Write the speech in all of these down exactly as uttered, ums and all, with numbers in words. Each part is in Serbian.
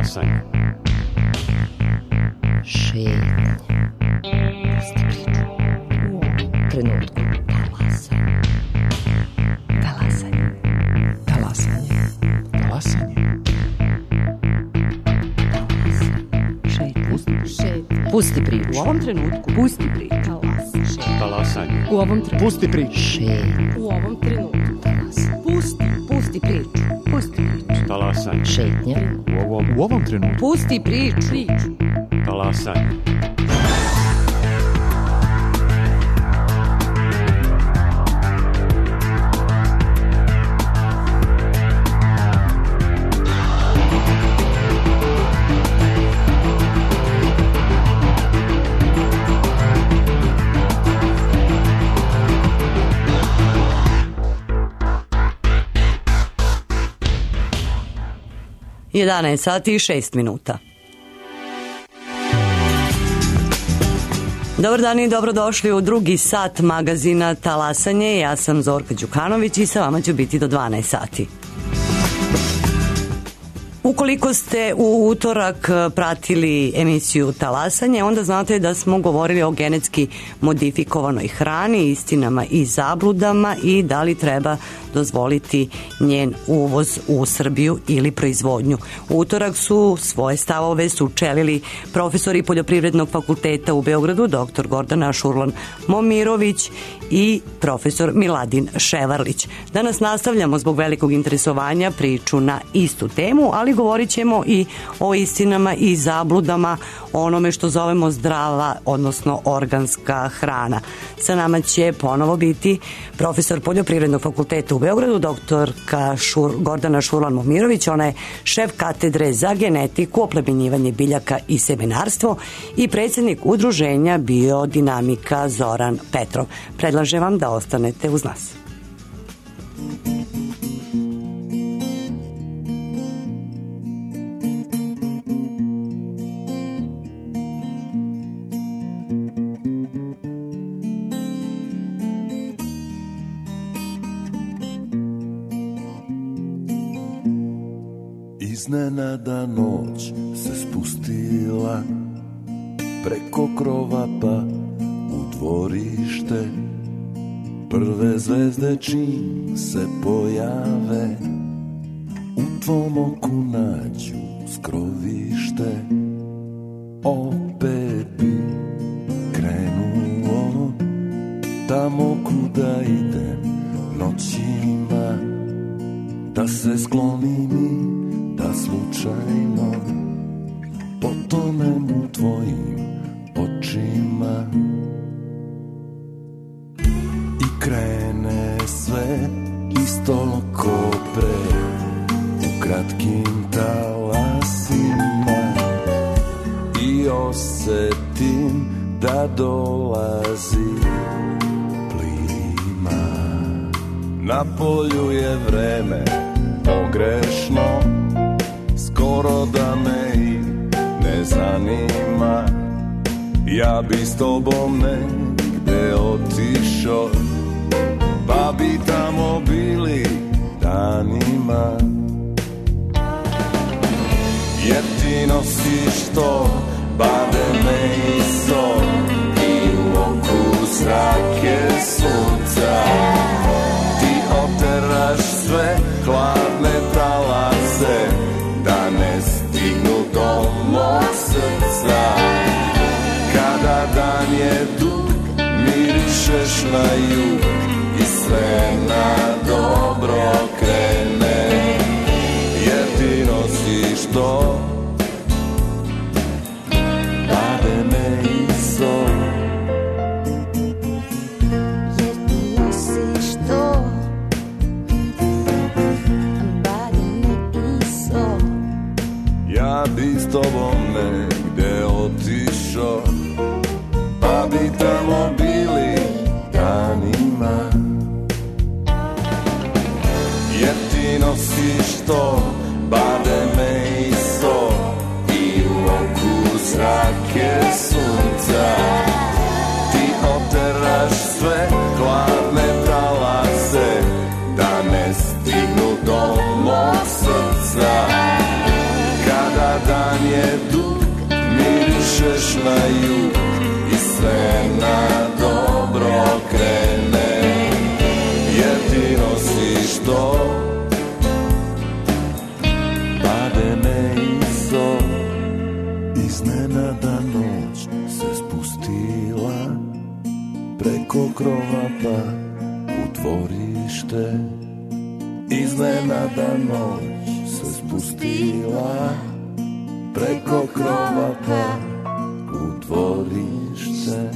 Talasanje. Šetnje. Pusti priču. U ovom trenutku. Talasanje. Talasanje. Talasanje. Talasanje. Šetnje. Pusti priču. U ovom trenutku. Pusti priču. Talasanje. U ovom trenutku. Pusti priču. Šetnje. U ovom trenutku. Pusti. Pusti priču. Pusti priču. Talasanje. Šetnje. U ovom, U ovom trenutku. Pusti priču. Priču. talasanje. jedanaest sati i šest minuta. Dobar dan i dobrodošli u drugi sat magazina Talasanje. Ja sam Zorka Đukanović i sa vama ću biti do dvanaest sati. Ukoliko ste u utorak pratili emisiju Talasanje, onda znate da smo govorili o genetski modifikovanoj hrani, istinama i zabludama i da li treba dozvoliti njen uvoz u Srbiju ili proizvodnju. U utorak su svoje stavove sučelili profesori Poljoprivrednog fakulteta u Beogradu, doktor Gordana Šurlan-Momirović i profesor Miladin Ševarlić. Danas nastavljamo zbog velikog interesovanja priču na istu temu, ali govorit ćemo i o istinama i zabludama, onome što zovemo zdrava, odnosno organska hrana. Sa nama će ponovo biti profesor Poljoprivrednog fakulteta u Beogradu, doktorka Šur, Gordana Šurlan-Momirović. Ona je šef katedre za genetiku, oplemenjivanje biljaka i semenarstvo i predsjednik udruženja Biodinamika Zoran Petrov. Predlažem vam da ostanete uz nas. Iznenada noć se spustila preko krova pa u dvorište. Prve zvezde čim se pojave u tvom oku nađu skrovište. Opet bi krenuo tamo kuda idem noćima, da se sklonim i da slučajno potonem u tvojim očima. I krene sve isto ko pre, u kratkim talasima, i osetim da dolazi plima. Na polju je vreme pogrešno, skoro da me i ne zanima. Ja bi s tobom negde otišao, pa bi tamo bili danima. Jer ti nosiš to bademe i sol i u oku zrake sunca. Ti oteraš sve hladne talase da ne stignu do mog srca. Kada dan je dug, mirišeš na jug i sve na dobro krene. Jer ti nosiš to bademe i sol. Jer ti nosiš to bademe i sol. Ja bi s tobom negde otišao, pa bi tamo bili danima. Jer ti nosiš to bademe i sol i u oku zrake sunca. Ti oteraš sve hladne talase da ne stignu do mog srca. Kada dan te, iznenada noć se spustila preko krova pa u dvorište.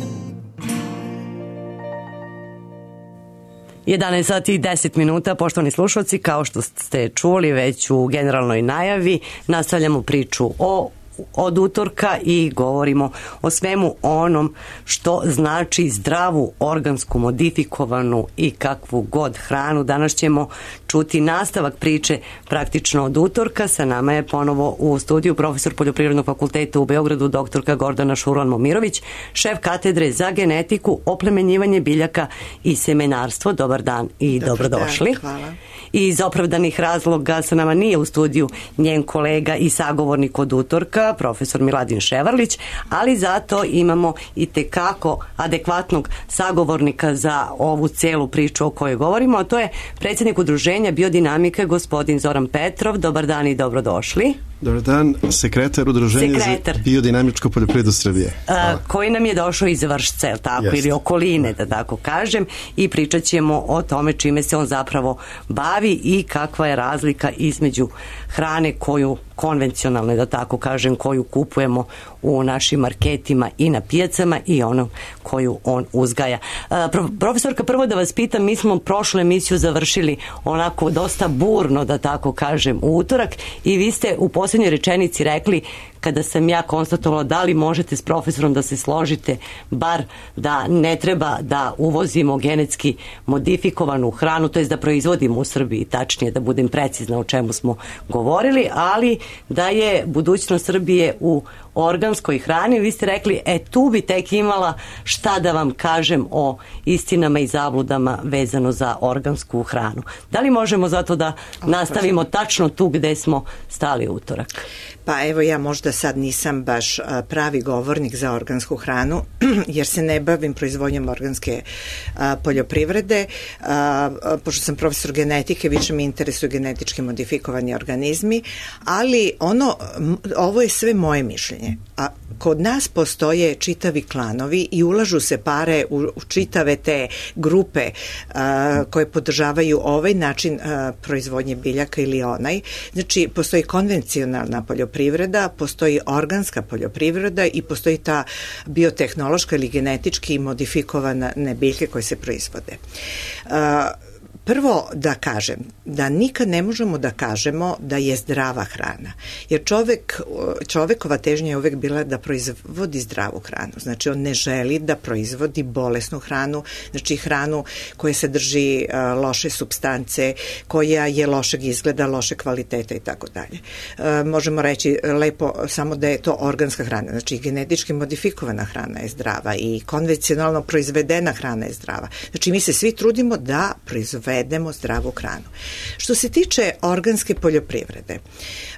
jedanaest sati i deset minuta, poštovani slušalci, kao što ste čuli već u generalnoj najavi, nastavljamo priču o od utorka i govorimo o svemu onom što znači zdravu, organsku, modifikovanu i kakvu god hranu. Danas ćemo čuti nastavak priče praktično od utorka. Sa nama je ponovo u studiju profesor Poljoprivrednog fakulteta u Beogradu, doktorka Gordana Šuran-Momirović, šef katedre za genetiku, oplemenjivanje biljaka i semenarstvo. Dobar dan i Dobar dobrodošli. Dan, hvala. I iz opravdanih razloga sa nama nije u studiju njen kolega i sagovornik od utorka, profesor Miladin Ševarlić, ali zato imamo i tekako adekvatnog sagovornika za ovu celu priču o kojoj govorimo, a to je predsjednik udruženja Biodinamike, gospodin Zoran Petrov. Dobar dan i dobrodošli. Dobar dan, sekretar udruženja sekretar. za biodinamičku poljoprivredu Srbije. A, koji nam je došao iz Vršca, je li tako, Jest. ili okoline, da tako kažem, i pričat ćemo o tome čime se on zapravo bavi i kakva je razlika između hrane koju konvencionalno, da tako kažem, koju kupujemo u našim marketima i na pijacama i ono koju on uzgaja. A, profesorka, prvo da vas pitam, mi smo prošlu emisiju završili onako dosta burno, da tako kažem, u utorak i vi ste u posljednjoj rečenici rekli, kada sam ja konstatovala da li možete s profesorom da se složite bar da ne treba da uvozimo genetski modifikovanu hranu, to je da proizvodimo u Srbiji, tačnije da budem precizna o čemu smo govorili, ali da je budućnost Srbije u organskoj hrani. Vi ste rekli, e tu bi tek imala šta da vam kažem o istinama i zabludama vezano za organsku hranu. Da li možemo zato da nastavimo tačno tu gde smo stali utorak? Pa evo, ja možda sad nisam baš pravi govornik za organsku hranu, jer se ne bavim proizvodnjom organske a, poljoprivrede. A, pošto sam profesor genetike, više mi interesuju genetički modifikovani organizmi, ali ono, ovo je sve moje mišljenje. A kod nas postoje čitavi klanovi i ulažu se pare u, u čitave te grupe a, koje podržavaju ovaj način a, proizvodnje biljaka ili onaj. Znači, postoji konvencionalna poljoprivreda, postoji organska poljoprivreda i postoji ta biotehnološka ili genetički modifikovane biljke koje se proizvode. A, Prvo da kažem da nikad ne možemo da kažemo da je zdrava hrana, jer čovek, čovekova težnja je uvek bila da proizvodi zdravu hranu, znači on ne želi da proizvodi bolesnu hranu, znači hranu koja sadrži uh, loše supstance, koja je lošeg izgleda, loše kvaliteta i tako dalje. Možemo reći lepo samo da je to organska hrana, znači genetički modifikovana hrana je zdrava i konvencionalno proizvedena hrana je zdrava. Znači mi se svi trudimo da proizvedemo jedemo zdravu hranu. Što se tiče organske poljoprivrede,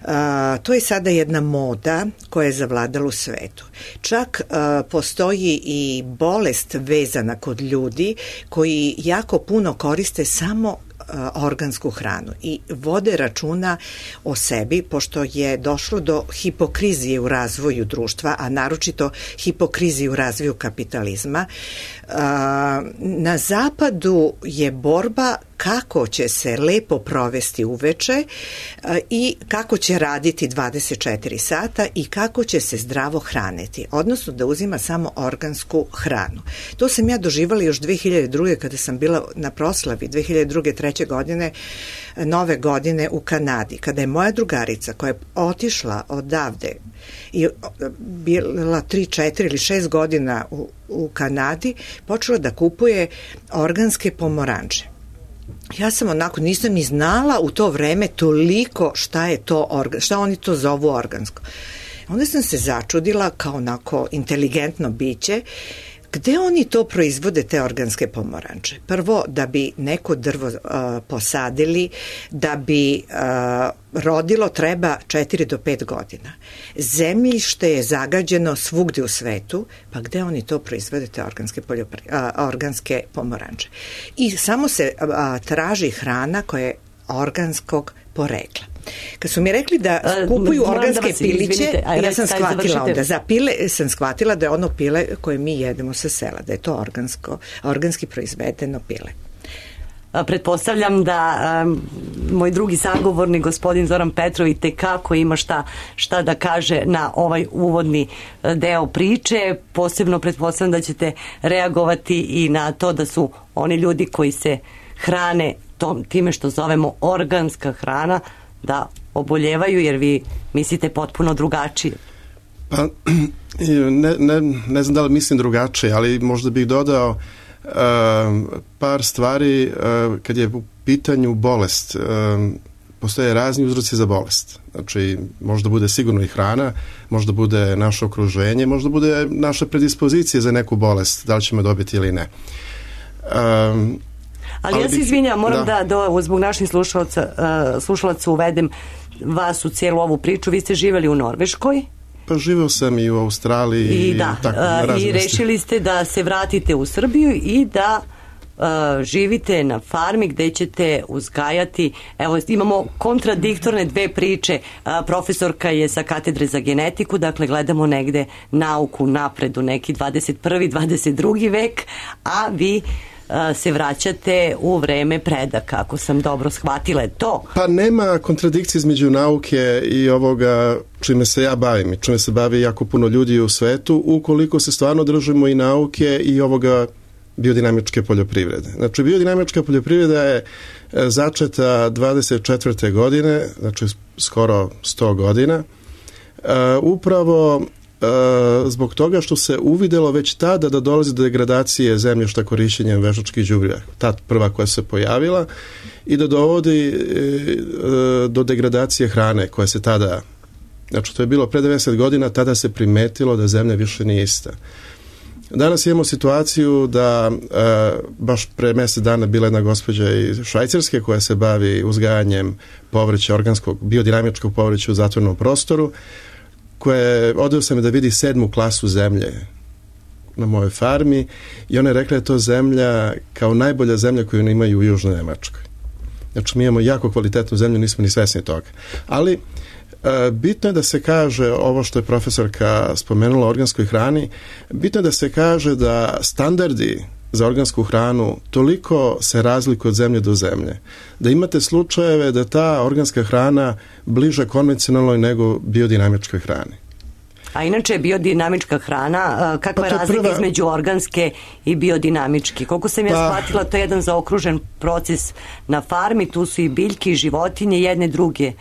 a, to je sada jedna moda koja je zavladala u svetu. Čak a, postoji i bolest vezana kod ljudi koji jako puno koriste samo organsku hranu i vode računa o sebi, pošto je došlo do hipokrizije u razvoju društva, a naročito hipokrizije u razvoju kapitalizma. Na zapadu je borba kako će se lepo provesti uveče i kako će raditi dvadeset četiri sata i kako će se zdravo hraniti, odnosno da uzima samo organsku hranu. To sam ja doživala još dve hiljade druge kada sam bila na proslavi dve hiljade druge treće godine, nove godine u Kanadi, kada je moja drugarica koja je otišla odavde i bila tri, četiri ili šest godina u, u Kanadi, počela da kupuje organske pomoranče. Ja sam onako, nisam ni znala u to vreme toliko šta je to, organ, šta oni to zovu organsko. Onda sam se začudila kao onako inteligentno biće, gde oni to proizvode, te organske pomoranče? Prvo, da bi neko drvo uh, posadili, da bi uh, rodilo treba četiri do pet godina. Zemljište je zagađeno svugde u svetu, pa gde oni to proizvode, te organske, poljopri, uh, organske pomoranče? I samo se uh, traži hrana koja je organskog porekla. Kad su mi rekli da kupuju organske da piliće, ja sam shvatila onda, za pile sam shvatila da je ono pile koje mi jedemo sa sela, da je to organsko, organski proizvedeno pile. pretpostavljam da um, moj drugi sagovornik, gospodin Zoran Petrov, i tekako ima šta, šta da kaže na ovaj uvodni deo priče. Posebno pretpostavljam da ćete reagovati i na to da su oni ljudi koji se hrane tom, time što zovemo organska hrana, da oboljevaju, jer vi mislite potpuno drugačije. Pa, ne, ne, ne znam da li mislim drugačije, ali možda bih dodao uh, par stvari uh, kad je u pitanju bolest. Uh, postoje razni uzroci za bolest. Znači, možda bude sigurno i hrana, možda bude naše okruženje, možda bude naša predispozicija za neku bolest, da li ćemo dobiti ili ne. Um, Ali, ali ja se izvinjam, moram da, da, da zbog naših slušalaca, uh, slušalaca uvedem vas u cijelu ovu priču. Vi ste živjeli u Norveškoj? Pa živeo sam i u Australiji. I, i da, tako, uh, i rešili ste da se vratite u Srbiju i da uh, živite na farmi gde ćete uzgajati. Evo, imamo kontradiktorne dve priče. Uh, profesorka je sa katedre za genetiku, dakle gledamo negde nauku napred u neki dvadeset prvi dvadeset drugi vek, a vi se vraćate u vreme predaka, ako sam dobro shvatila, je to? Pa nema kontradikcije između nauke i ovoga čime se ja bavim i čime se bavi jako puno ljudi u svetu, ukoliko se stvarno držimo i nauke i ovoga biodinamičke poljoprivrede. Znači, biodinamička poljoprivreda je začeta dvadeset četvrte godine, znači skoro sto godina, uh, upravo zbog toga što se uvidelo već tada da dolazi do degradacije zemljišta korišćenjem veštačkih đubriva, ta prva koja se pojavila, i da dovodi do degradacije hrane koja se tada, znači to je bilo pre devedeset godina, tada se primetilo da zemlja više nije ista. Danas imamo situaciju da baš pre mjesec dana bila jedna gospođa iz Švajcarske koja se bavi uzgajanjem povrća, organskog, biodinamičkog povrća u zatvorenom prostoru, koje odveo sam da vidi sedmu klasu zemlje na mojoj farmi i ona je rekla da je to zemlja kao najbolja zemlja koju imaju u Južnoj Nemačkoj. Znači, mi imamo jako kvalitetnu zemlju, nismo ni svesni toga. Ali e, bitno je da se kaže ovo što je profesorka spomenula o organskoj hrani, bitno je da se kaže da standardi za organsku hranu toliko se razlikuju od zemlje do zemlje, da imate slučajeve da ta organska hrana bliže konvencionalnoj nego biodinamičkoj hrani. A inače biodinamička hrana, kakva je razlika prva... između organske i biodinamičke? Koliko sam ja pa... shvatila, to je jedan zaokružen proces na farmi, tu su i biljke i životinje, jedne druge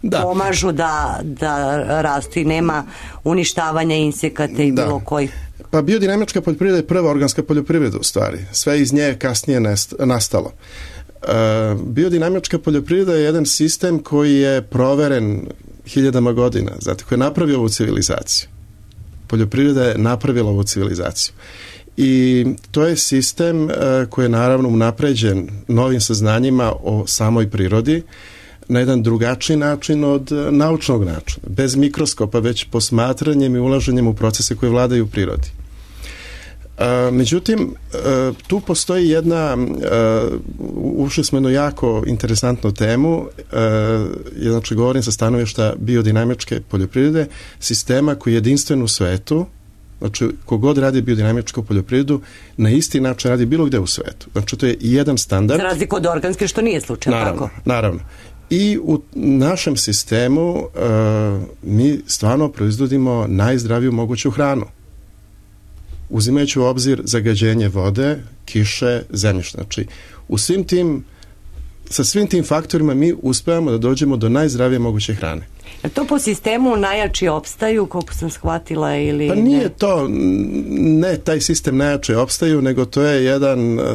da. pomažu da, da rastu i nema uništavanja insekata i da. bilo koji. Pa biodinamička poljoprivreda je prva organska poljoprivreda u stvari. Sve iz nje kasnije nastalo. Uh, biodinamička poljoprivreda je jedan sistem koji je proveren hiljadama godina, zato koji je napravio ovu civilizaciju. Poljoprivreda je napravila ovu civilizaciju. I to je sistem uh, koji je naravno unapređen novim saznanjima o samoj prirodi na jedan drugačiji način od naučnog načina, bez mikroskopa, već posmatranjem i ulaženjem u procese koje vladaju u prirodi. Uh, međutim, uh, tu postoji jedna, uh, ušli smo jednu jako interesantnu temu, uh, znači govorim sa stanovišta biodinamičke poljoprivrede, sistema koji je jedinstven u svetu, znači kogod radi biodinamičku poljoprivredu, na isti način radi bilo gde u svetu. Znači to je jedan standard. Za razliku od organske, što nije slučaj, naravno, tako? Naravno. I u našem sistemu uh, mi stvarno proizvodimo najzdraviju moguću hranu. Uzimajući u obzir zagađenje vode, kiše, zemljišta. Znači, u svim tim, sa svim tim faktorima mi uspevamo da dođemo do najzdravije moguće hrane. Je to po sistemu najjači opstaju, koliko sam shvatila, ili pa nije ne? to, ne taj sistem najjači opstaju, nego to je jedan uh,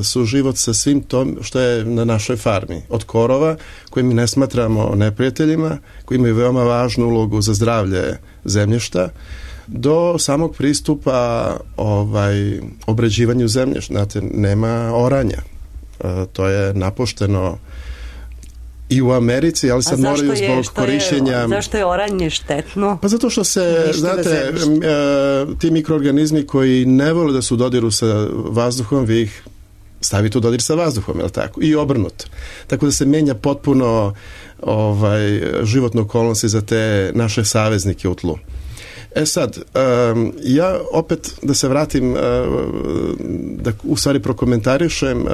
suživot sa svim tom što je na našoj farmi. Od korova, koje mi ne smatramo neprijateljima, koji imaju veoma važnu ulogu za zdravlje zemljišta, do samog pristupa ovaj, obrađivanju zemljišta. Znate, nema oranja. Uh, to je napušteno i u Americi, ali sad moraju zbog je, korišćenja... Je, zašto je oranje štetno? Pa zato što se, znate, uh, ti mikroorganizmi koji ne vole da su u dodiru sa vazduhom, vi ih stavite u dodir sa vazduhom, je li tako? I obrnuto. Tako da se menja potpuno ovaj, životno okolnosti za te naše saveznike u tlu. E sad, um, ja opet da se vratim, uh, da u stvari prokomentarišem uh,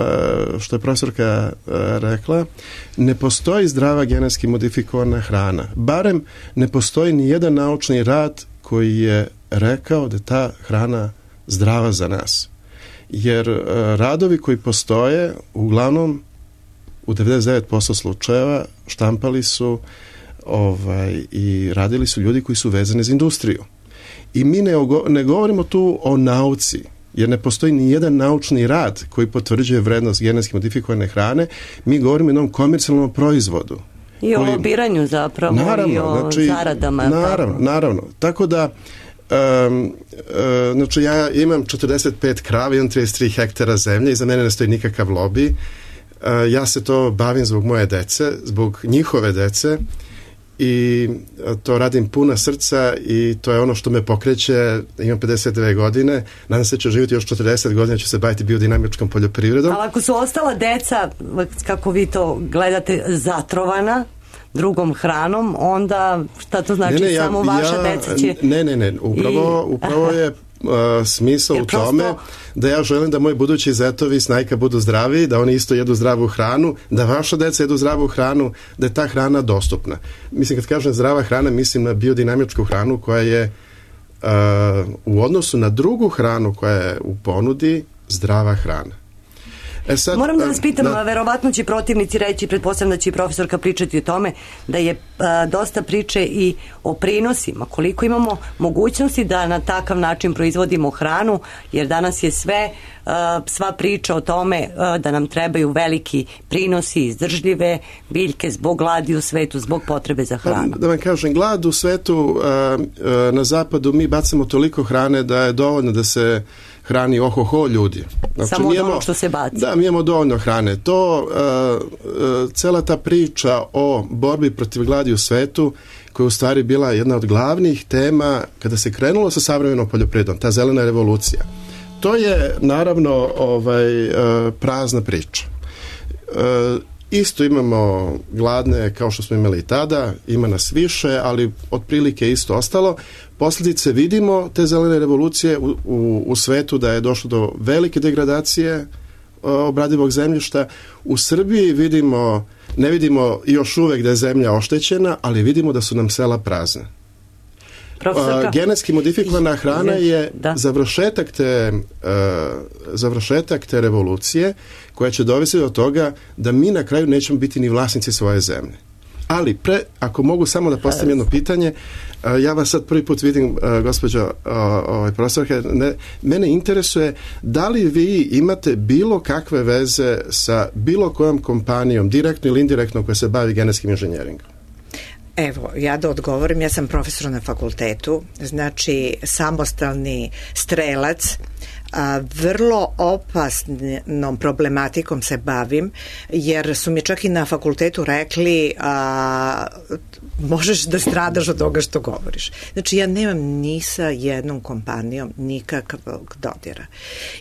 što je profesorka uh, rekla, ne postoji zdrava genetski modifikovana hrana. Barem ne postoji ni jedan naučni rad koji je rekao da je ta hrana zdrava za nas. Jer uh, radovi koji postoje, uglavnom u devedeset devet posto slučajeva štampali su ovaj, i radili su ljudi koji su vezani za industriju. I mi ne, ne govorimo tu o nauci, jer ne postoji ni jedan naučni rad koji potvrđuje vrednost genetski modifikovane hrane. Mi govorimo o jednom komercijalnom proizvodu. I o koji, lobiranju zapravo, naravno, i o znači, zaradama. Naravno, tako. naravno. Tako da, um, uh, znači ja imam četrdeset pet krava, imam trideset tri hektara zemlje i za mene ne stoji nikakav lobi. Uh, ja se to bavim zbog moje dece, zbog njihove dece, i to radim puna srca i to je ono što me pokreće. Imam pedeset dve godine, nadam se da ću živjeti još četrdeset godina, ću se baviti biodinamičkom poljoprivredom. Ali ako su ostala deca, kako vi to gledate, zatrovana drugom hranom, onda šta to znači? Ne, ne, ja, samo vaša ja, deca će... Ne, ne, ne, upravo, I... upravo je uh, smisao Jer u tome prosto... da ja želim da moji budući zetovi snajka budu zdravi, da oni isto jedu zdravu hranu, da vaša deca jedu zdravu hranu, da je ta hrana dostupna. Mislim, kad kažem zdrava hrana, mislim na biodinamičku hranu koja je uh, u odnosu na drugu hranu koja je u ponudi zdrava hrana. E sad, moram da vas pitam, da, verovatno će protivnici reći, pretpostavljam da će i profesorka pričati o tome, da je a, dosta priče i o prinosima, koliko imamo mogućnosti da na takav način proizvodimo hranu, jer danas je sve, a, sva priča o tome a, da nam trebaju veliki prinosi, izdržljive biljke zbog gladi u svetu, zbog potrebe za hranu. Da vam kažem, glad u svetu, a, a, na zapadu mi bacamo toliko hrane da je dovoljno da se hrani ohoho ljudi. Znači, samo od onog što se baci. Da, mi imamo dovoljno hrane. To, uh, uh, cela ta priča o borbi protiv gladi u svetu, koja je u stvari bila jedna od glavnih tema kada se krenulo sa savremenom poljoprivredom, ta zelena revolucija. To je naravno ovaj, uh, prazna priča. Uh, Isto imamo gladne kao što smo imali i tada, ima nas više, ali otprilike isto ostalo. Posljedice vidimo te zelene revolucije u, u, u svetu, da je došlo do velike degradacije obradivog zemljišta. U Srbiji vidimo, ne vidimo još uvek da je zemlja oštećena, ali vidimo da su nam sela prazne. Profesorka. Genetski modifikovana hrana je da. završetak te uh, završetak te revolucije koja će dovesti do toga da mi na kraju nećemo biti ni vlasnici svoje zemlje. Ali pre, ako mogu samo da postavim jedno pitanje, uh, ja vas sad prvi put vidim, uh, gospođo uh, ovaj, profesorka, ne, mene interesuje da li vi imate bilo kakve veze sa bilo kojom kompanijom, direktno ili indirektno, koja se bavi genetskim inženjeringom? Evo, ja da odgovorim, ja sam profesor na fakultetu, znači samostalni strelac, a, vrlo opasnom problematikom se bavim, jer su mi čak i na fakultetu rekli a, možeš da stradaš od toga što govoriš. Znači, ja nemam ni sa jednom kompanijom nikakvog dodira.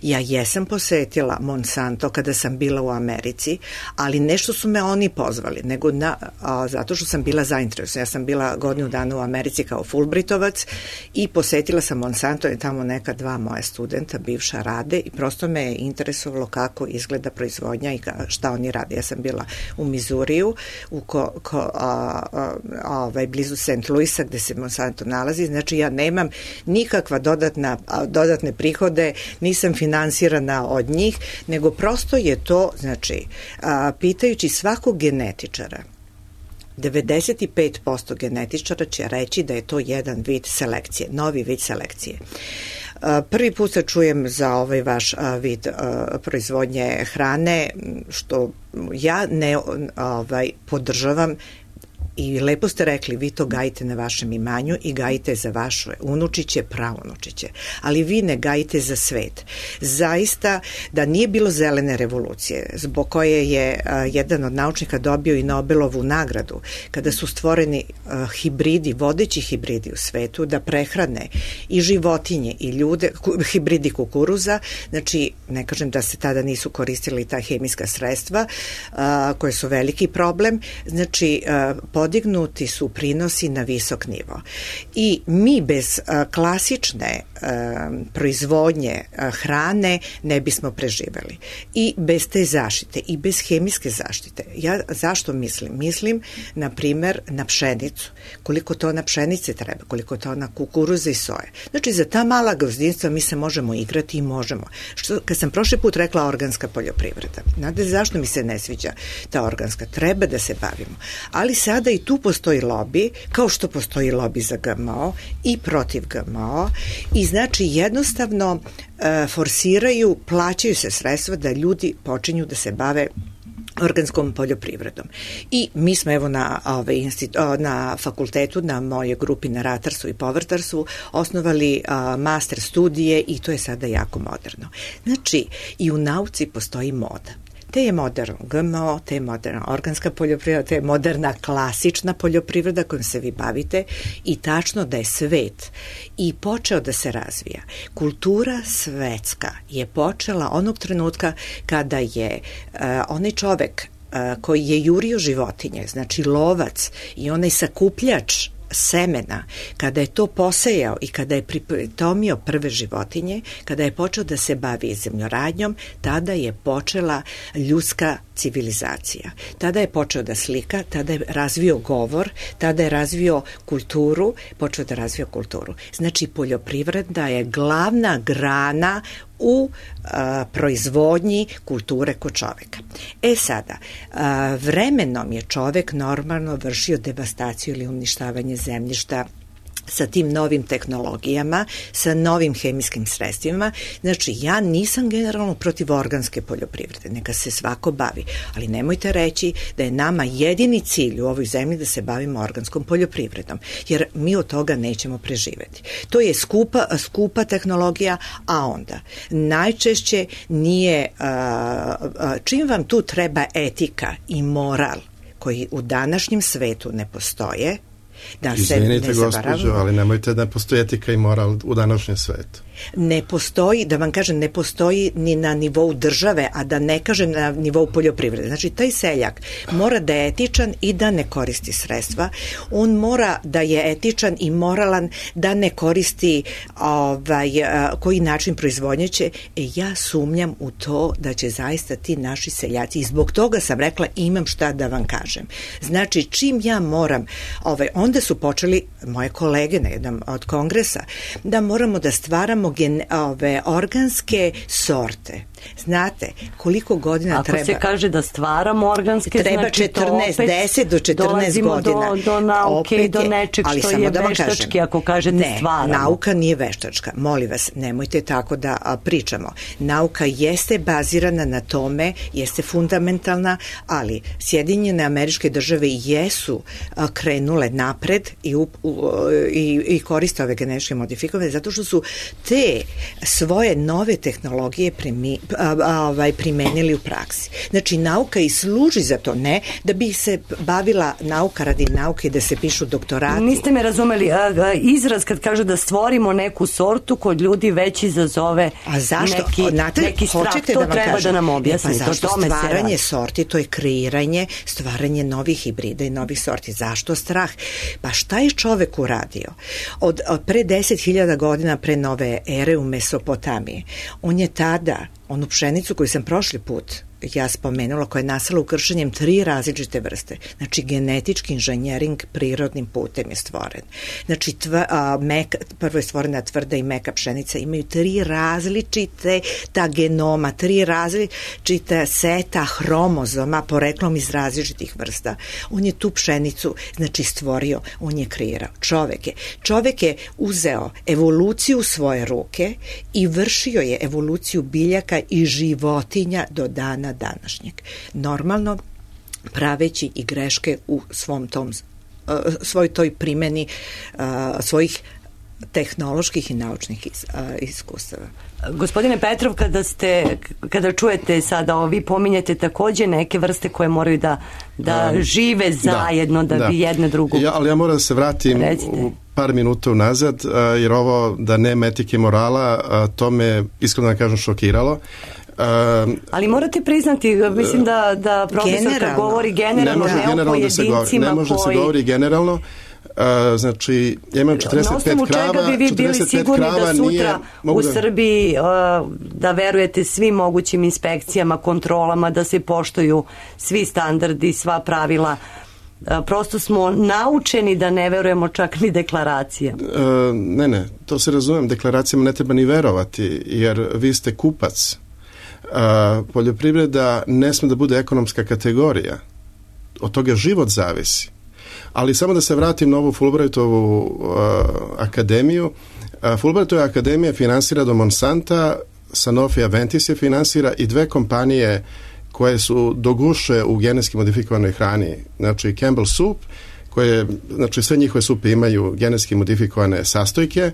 Ja jesam posetila Monsanto kada sam bila u Americi, ali nešto su me oni pozvali, nego na, a, zato što sam bila zainteresovana. Ja sam bila godinu dana u Americi kao Fulbrightovac i posetila sam Monsanto i tamo neka dva moja studenta, bivša, rade i prosto me je interesovalo kako izgleda proizvodnja i šta oni rade. Ja sam bila u Mizuriju, u ko, ko, a, a, ovaj, blizu Saint Louisa gde se Monsanto nalazi, znači ja nemam nikakva dodatna, dodatne prihode, nisam finansirana od njih, nego prosto je to, znači, a, pitajući svakog genetičara, devedeset pet posto genetičara će reći da je to jedan vid selekcije, novi vid selekcije. Prvi put se čujem za ovaj vaš vid proizvodnje hrane, što ja ne ovaj, podržavam. I lepo ste rekli, vi to gajite na vašem imanju i gajite za vaše unučiće, praunučiće. Ali vi ne gajite za svet. Zaista, da nije bilo zelene revolucije, zbog koje je a, jedan od naučnika dobio i Nobelovu nagradu, kada su stvoreni a, hibridi, vodeći hibridi u svetu, da prehrane i životinje i ljude, ku, hibridi kukuruza, znači, ne kažem da se tada nisu koristili ta hemijska sredstva, a, koje su veliki problem, znači, a, podignuti su prinosi na visok nivo. I mi bez a, klasične a, proizvodnje a, hrane ne bismo preživeli. I bez te zaštite, i bez hemijske zaštite. Ja zašto mislim? Mislim, na primer, na pšenicu. Koliko tona pšenice treba, koliko tona kukuruza i soje. Znači, za ta mala gazdinstva mi se možemo igrati i možemo. Što, kad sam prošli put rekla organska poljoprivreda, znate zašto mi se ne sviđa ta organska? Treba da se bavimo. Ali sada i tu postoji lobi, kao što postoji lobi za G M O i protiv G M O, i znači jednostavno e, forsiraju, plaćaju se sredstva da ljudi počinju da se bave organskom poljoprivredom. I mi smo evo na, ove, institu, na fakultetu, na mojoj grupi na ratarstvu i povrtarstvu osnovali a, master studije i to je sada jako moderno. Znači, i u nauci postoji moda. Te je moderno G M O, te je moderna organska poljoprivreda, te je moderna klasična poljoprivreda kojom se vi bavite i tačno da je svet i počeo da se razvija. Kultura svetska je počela onog trenutka kada je uh, onaj čovek uh, koji je jurio životinje, znači lovac i onaj sakupljač semena, kada je to posejao i kada je pritomio prve životinje, kada je počeo da se bavi zemljoradnjom, tada je počela ljudska civilizacija. Tada je počeo da slika, tada je razvio govor, tada je razvio kulturu, počeo da razvio kulturu. Znači, poljoprivreda je glavna grana u a, proizvodnji kulture kod čoveka. E sada, a, vremenom je čovek normalno vršio devastaciju ili uništavanje zemljišta sa tim novim tehnologijama, sa novim hemijskim sredstvima. Znači, ja nisam generalno protiv organske poljoprivrede, neka se svako bavi, ali nemojte reći da je nama jedini cilj u ovoj zemlji da se bavimo organskom poljoprivredom, jer mi od toga nećemo preživeti. To je skupa, skupa tehnologija, a onda najčešće nije, a, a, čim vam tu treba etika i moral koji u današnjem svetu ne postoje, da Izvinite, se ne gospođo, ali nemojte da postoji etika i moral u današnjem svetu. Ne postoji, da vam kažem, ne postoji ni na nivou države, a da ne kažem na nivou poljoprivrede. Znači, taj seljak mora da je etičan i da ne koristi sredstva. On mora da je etičan i moralan da ne koristi ovaj, koji način proizvodnje će. E, ja sumnjam u to da će zaista ti naši seljaci, i zbog toga sam rekla imam šta da vam kažem. Znači, čim ja moram, ovaj, onda su počeli moje kolege na jednom od kongresa, da moramo da stvaramo Gen, ove, organske sorte. Znate koliko godina Ako treba? Ako se kaže da stvaramo organske, treba znači četrnaest, deset do četrnaest godina. Do, do nauke opet i do nečeg ali što samo je da veštački, kažem, ako kažete ne, stvaramo. Nauka nije veštačka. Molim vas, nemojte tako da a, pričamo. Nauka jeste bazirana na tome, jeste fundamentalna, ali Sjedinjene Američke Države jesu a, krenule napred i, u, u, i, i koriste ove genetičke modifikove zato što su te svoje nove tehnologije primi, a, a, ovaj, primenili u praksi. Znači, nauka i služi za to, ne da bi se bavila nauka radi nauke, da se pišu doktorati. Niste me razumeli. A, a, izraz kad kaže da stvorimo neku sortu kod ljudi već izazove a zašto? neki, Znate, neki strah. To da treba kažem. da nam objasnite. Pa zašto tome stvaranje sorti, to je kreiranje, stvaranje novih hibrida i novih sorti. Zašto strah? Pa šta je čovek uradio? Od, od pre deset hiljada godina pre nove ere u Mesopotamiji. On je tada onu pšenicu koju sam prošli put ja spomenula, koja je nastala ukršenjem tri različite vrste. Znači, genetički inženjering prirodnim putem je stvoren. Znači, tva, a, meka, prvo je stvorena tvrda i meka pšenica, imaju tri različite ta genoma, tri različite seta hromozoma poreklom iz različitih vrsta. On je tu pšenicu, znači, stvorio, on je kreirao. Čovek je. Čovek je uzeo evoluciju u svoje ruke i vršio je evoluciju biljaka i životinja do dana današnjeg. Normalno praveći i greške u svom tom uh, svoj toj primeni uh, svojih tehnoloških i naučnih is, uh, iskustava. Gospodine Petrov, kada ste kada čujete sada, vi pominjete takođe neke vrste koje moraju da, da um, žive zajedno, da, da, da bi jedne drugu. Ja, ali ja moram da se vratim Recite. u par minuta unazad, jer ovo da nema etike i morala, to me iskreno da kažem šokiralo. Um, Ali morate priznati, mislim da, da profesorka generalno. govori generalno, ne može ne o generalno da se govori, pojedincima ne može da koji... se govori generalno. Uh, znači, ja imam četrdeset pet Na osnovu krava, čega bi vi bili sigurni da sutra nije, u da... Srbiji uh, da verujete svim mogućim inspekcijama, kontrolama, da se poštuju svi standardi, sva pravila. Uh, prosto smo naučeni da ne verujemo čak ni deklaracijama. Uh, ne, ne, to se razumem, deklaracijama ne treba ni verovati, jer vi ste kupac. Uh, poljoprivreda ne sme da bude ekonomska kategorija. Od toga život zavisi. Ali samo da se vratim na ovu Fulbrightovu uh, akademiju. Uh, Fulbrightova akademija finansira do Monsanta, Sanofi Aventis je finansira i dve kompanije koje su do guše u genetski modifikovanoj hrani. Znači Campbell Soup, koje, znači sve njihove supe imaju genetski modifikovane sastojke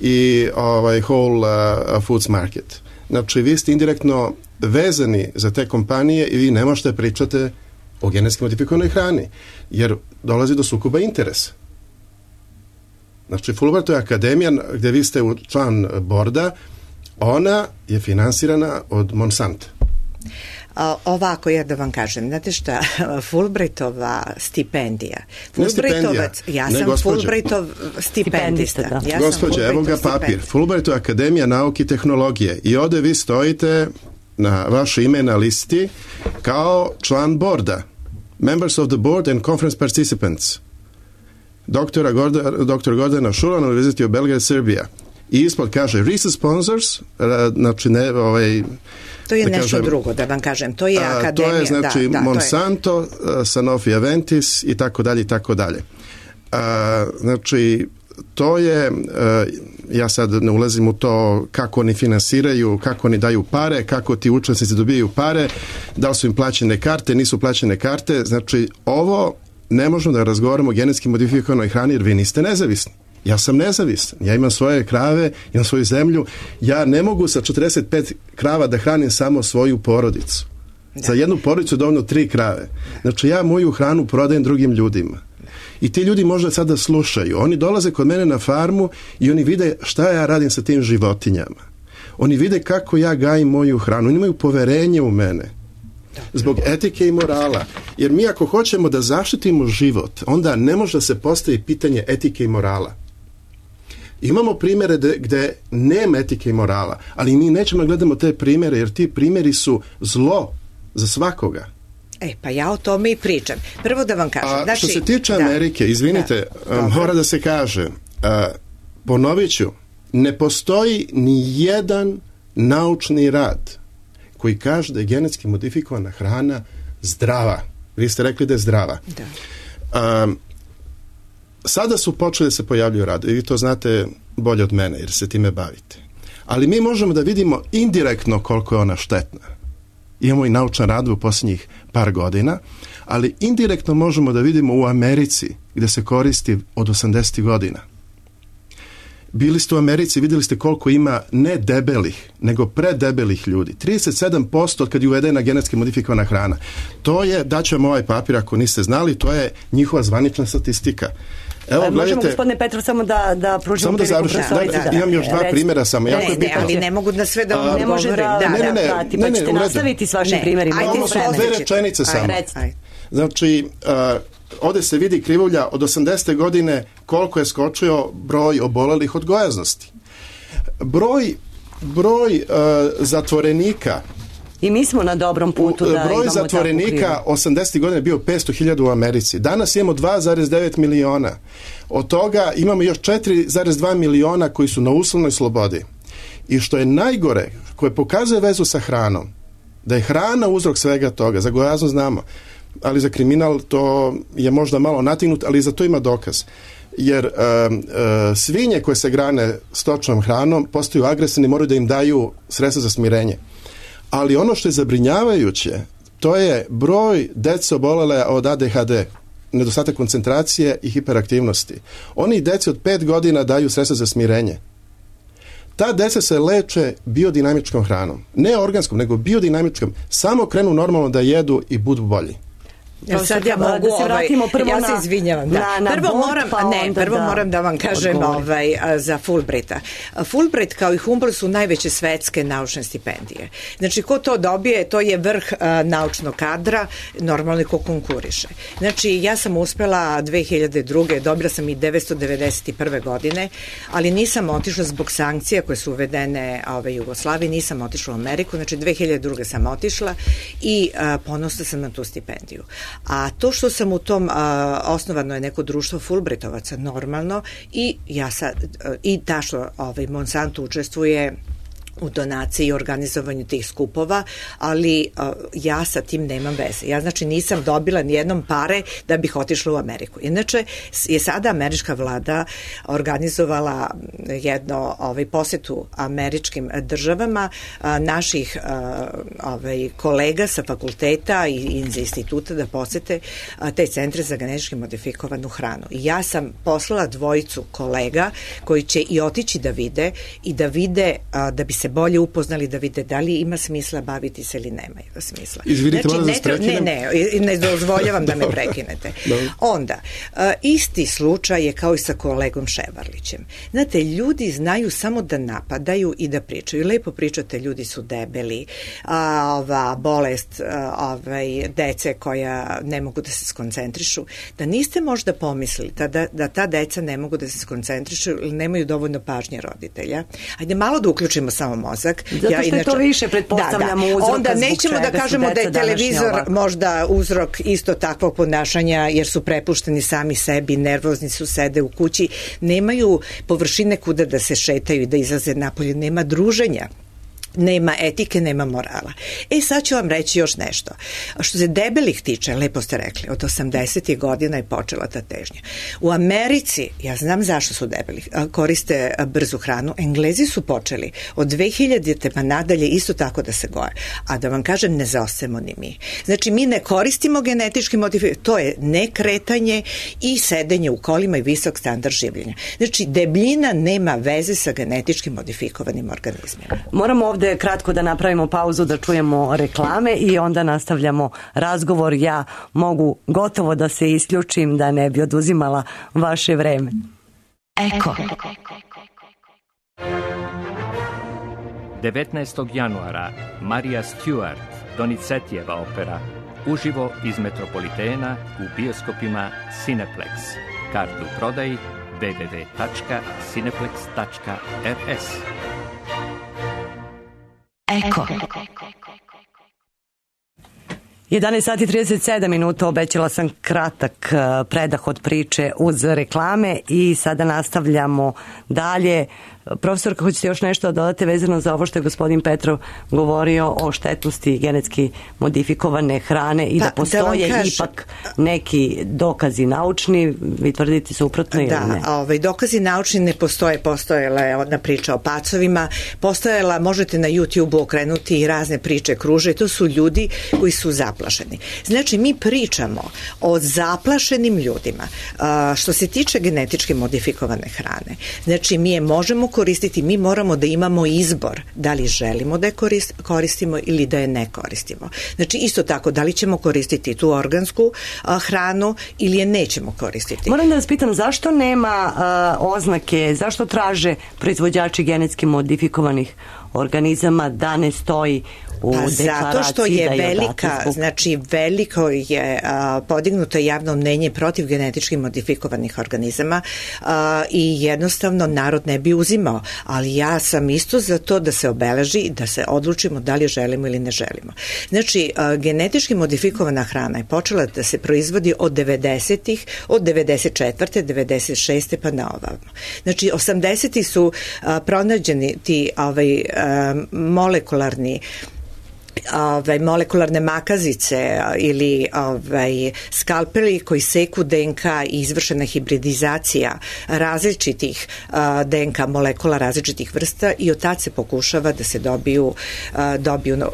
i ovaj Whole uh, Foods Market. Znači vi ste indirektno vezani za te kompanije i vi ne možete pričate o genetski modifikovanoj hrani, jer dolazi do sukoba interesa. Znači, Fulbrightova akademija, gde vi ste član borda, ona je finansirana od Monsanta. A, ovako, ja da vam kažem, znate šta, Fulbrightova stipendija. Fulbrightovac, ja ne, sam gospođa. Fulbrightov stipendista. Da. Ja Gospođa, evo ga papir. Fulbrightova akademija nauke i tehnologije. I ovde vi stojite na vaše ime na listi kao član borda. Members of the board and conference participants. Doktora Gorda, doktor Gordana Šulan, University of Belgrade, Serbia. I ispod kaže research sponsors, znači ne, ovaj... To je da nešto kažem, drugo, da vam kažem. To je a, akademija. To je znači da, da, Monsanto, je... Sanofi Aventis i tako dalje i tako dalje. A, znači, to je, a, ja sad ne ulazim u to kako oni finansiraju, kako oni daju pare, kako ti učesnici dobijaju pare, da li su im plaćene karte, nisu plaćene karte. Znači, ovo ne možemo da razgovaramo o genetski modifikovanoj hrani jer vi niste nezavisni. Ja sam nezavisan, ja imam svoje krave, imam svoju zemlju, ja ne mogu sa četrdeset pet krava da hranim samo svoju porodicu. Da. Za jednu porodicu dovoljno tri krave. Znači ja moju hranu prodajem drugim ljudima. I ti ljudi možda sada slušaju. Oni dolaze kod mene na farmu i oni vide šta ja radim sa tim životinjama. Oni vide kako ja gajim moju hranu. Oni imaju poverenje u mene. Zbog etike i morala. Jer mi ako hoćemo da zaštitimo život, onda ne može da se postavi pitanje etike i morala. Imamo primjere de, gde nema etike i morala, ali mi nećemo da gledamo te primjere, jer ti primjeri su zlo za svakoga. E, pa ja o tome i pričam. Prvo da vam kažem. A znači, što se tiče da, Amerike, izvinite, da, mora da se kaže, a, ponovit ću, ne postoji ni jedan naučni rad koji kaže da je genetski modifikovana hrana zdrava. Vi ste rekli da je zdrava. Da. A, Sada su počeli da se pojavljuju radovi, vi to znate bolje od mene jer se time bavite. Ali mi možemo da vidimo indirektno koliko je ona štetna. Imamo i naučan rad u posljednjih par godina, ali indirektno možemo da vidimo u Americi gde se koristi od osamdesetih godina. Bili ste u Americi, vidjeli ste koliko ima ne debelih, nego predebelih ljudi. trideset sedam posto od kad je uvedena genetski modifikovana hrana. To je, daću vam ovaj papir ako niste znali, to je njihova zvanična statistika. Evo, možemo, gledajte, gospodine Petrov, samo da, da pružimo samo da završim. Da, da, da, imam još dva primjera samo. Ne, ne, ne, ali ne mogu da sve da vam ne može da, da, da, ne, ne, ne, prati, pa ćete nastaviti s vašim primjerima. Ajde, dve rečenice samo. Ajde. Znači, uh, ovde se vidi krivulja od osamdesete godine koliko je skočio broj obolelih od gojaznosti. Broj, broj uh, zatvorenika i mi smo na dobrom putu da broj imamo zatvorenika osamdesetih godina je bio petsto hiljada u Americi. Danas imamo dva zarez devet miliona. Od toga imamo još četiri zarez dva miliona koji su na uslovnoj slobodi. I što je najgore, koje pokazuje vezu sa hranom, da je hrana uzrok svega toga. Za gojaznost znamo, ali za kriminal to je možda malo natignut, ali za to ima dokaz. Jer uh, uh, svinje koje se grane stočnom hranom postaju agresivni, moraju da im daju sredstva za smirenje. Ali ono što je zabrinjavajuće, to je broj dece obolele od A D H D, nedostatak koncentracije i hiperaktivnosti. Oni deci od pet godina daju sredstva za smirenje. Ta deca se leče biodinamičkom hranom. Ne organskom, nego biodinamičkom. Samo krenu normalno da jedu i budu bolji. Sad ja mogu, da se vratimo prvo ovaj, na... ja se izvinjavam, da. Na, na prvo Bolt, moram, pa ne, prvo da moram da vam kažem ovaj, za Fulbrighta. Fulbright kao i Humboldt su najveće svetske naučne stipendije. Znači, ko to dobije, to je vrh a, naučnog kadra, normalno ko konkuriše. Znači, ja sam uspela dve hiljade druge. dobila sam i devetsto devedeset prve. godine, ali nisam otišla zbog sankcija koje su uvedene ove Jugoslavije, nisam otišla u Ameriku, znači dve hiljade druge. sam otišla i a, ponosna sam na tu stipendiju. A to što sam u tom, a, osnovano je neko društvo Fulbrightovaca, normalno, i ja sad, i ta što ovaj, Monsanto učestvuje u donaciji i organizovanju tih skupova, ali uh, ja sa tim nemam veze. Ja znači nisam dobila nijednom pare da bih otišla u Ameriku. Inače je sada američka vlada organizovala jedno ovaj, posetu američkim državama uh, naših uh, ovaj, kolega sa fakulteta i iz instituta da posete uh, te centre za genetički modifikovanu hranu. I ja sam poslala dvojicu kolega koji će i otići da vide i da vide uh, da bi se bolje upoznali, da vide da li ima smisla baviti se ili nema smisla. Izvinite, znači, ne, tre... ne, ne, ne dozvoljavam da me prekinete. Dobro. Onda, uh, isti slučaj je kao i sa kolegom Ševarlićem. Znate, ljudi znaju samo da napadaju i da pričaju. Lepo pričate, ljudi su debeli, a, ova bolest a, ovaj, dece koja ne mogu da se skoncentrišu. Da niste možda pomislili da, da, da ta deca ne mogu da se skoncentrišu ili nemaju dovoljno pažnje roditelja. Ajde malo da uključimo samo mozak. Zato što ja, inače, je to više, pretpostavljamo, da, da. uzroka. Onda nećemo da kažemo da je televizor možda uzrok isto takvog ponašanja, jer su prepušteni sami sebi, nervozni su, sede u kući, nemaju površine kuda da se šetaju i da izlaze napolje, nema druženja. Nema etike, nema morala. E, sad ću vam reći još nešto. Što se debelih tiče, lepo ste rekli, od osamdesetih godina je počela ta težnja. U Americi, ja znam zašto su debeli, koriste brzu hranu, Englezi su počeli od dve hiljadite pa nadalje isto tako da se goje. A da vam kažem, ne zaostajemo ni mi. Znači, mi ne koristimo genetički modifikovane, to je nekretanje i sedenje u kolima i visok standard življenja. Znači, debljina nema veze sa genetički modifikovanim organizmima. Moramo ovde kratko da napravimo pauzu, da čujemo reklame i onda nastavljamo razgovor. Ja mogu gotovo da se isključim da ne bi oduzimala vaše vreme. Eko. devetnaestog januara Marija Stewart, Donizetijeva opera, uživo iz Metropolitena u bioskopima Cineplex. Kartu u prodaji w w w tačka cineplex tačka r s. Eko. jedanaest sati i trideset sedam minuta, obećala sam kratak predah od priče uz reklame i sada nastavljamo dalje. Profesorka, hoćete još nešto da dodate vezano za ovo što je gospodin Petrov govorio o štetnosti genetski modifikovane hrane i pa, da postoje da ipak neki dokazi naučni, vi tvrdite suprotno ili da, ne? Da, ovaj, dokazi naučni ne postoje, postojala je ona priča o pacovima, postojala, možete na YouTube okrenuti i razne priče kruže, to su ljudi koji su zaplašeni. Znači, mi pričamo o zaplašenim ljudima. A, što se tiče genetički modifikovane hrane, znači mi je možemo koristiti, mi moramo da imamo izbor da li želimo da je koristimo ili da je ne koristimo. Znači isto tako, da li ćemo koristiti tu organsku a, hranu ili je nećemo koristiti. Moram da vas pitam, zašto nema a, oznake, zašto traže proizvođači genetski modifikovanih organizama da ne stoji u pa deklaraciji? Zato što je da je velika, zbog... znači veliko je a, podignuto javno mnenje protiv genetički modifikovanih organizama a, i jednostavno narod ne bi uzimao, ali ja sam isto za to da se obeleži i da se odlučimo da li želimo ili ne želimo. Znači, a, genetički modifikovana hrana je počela da se proizvodi od devedesetih, od devedeset četvrte devedeset šeste pa na ovamo. Znači, osamdesetih su a, pronađeni ti ovaj, a, molekularni Ove, molekularne makazice ili ovaj, skalpeli koji seku D N K i izvršena hibridizacija različitih a, D N K molekula različitih vrsta i od tad se pokušava da se dobiju, a, dobiju no,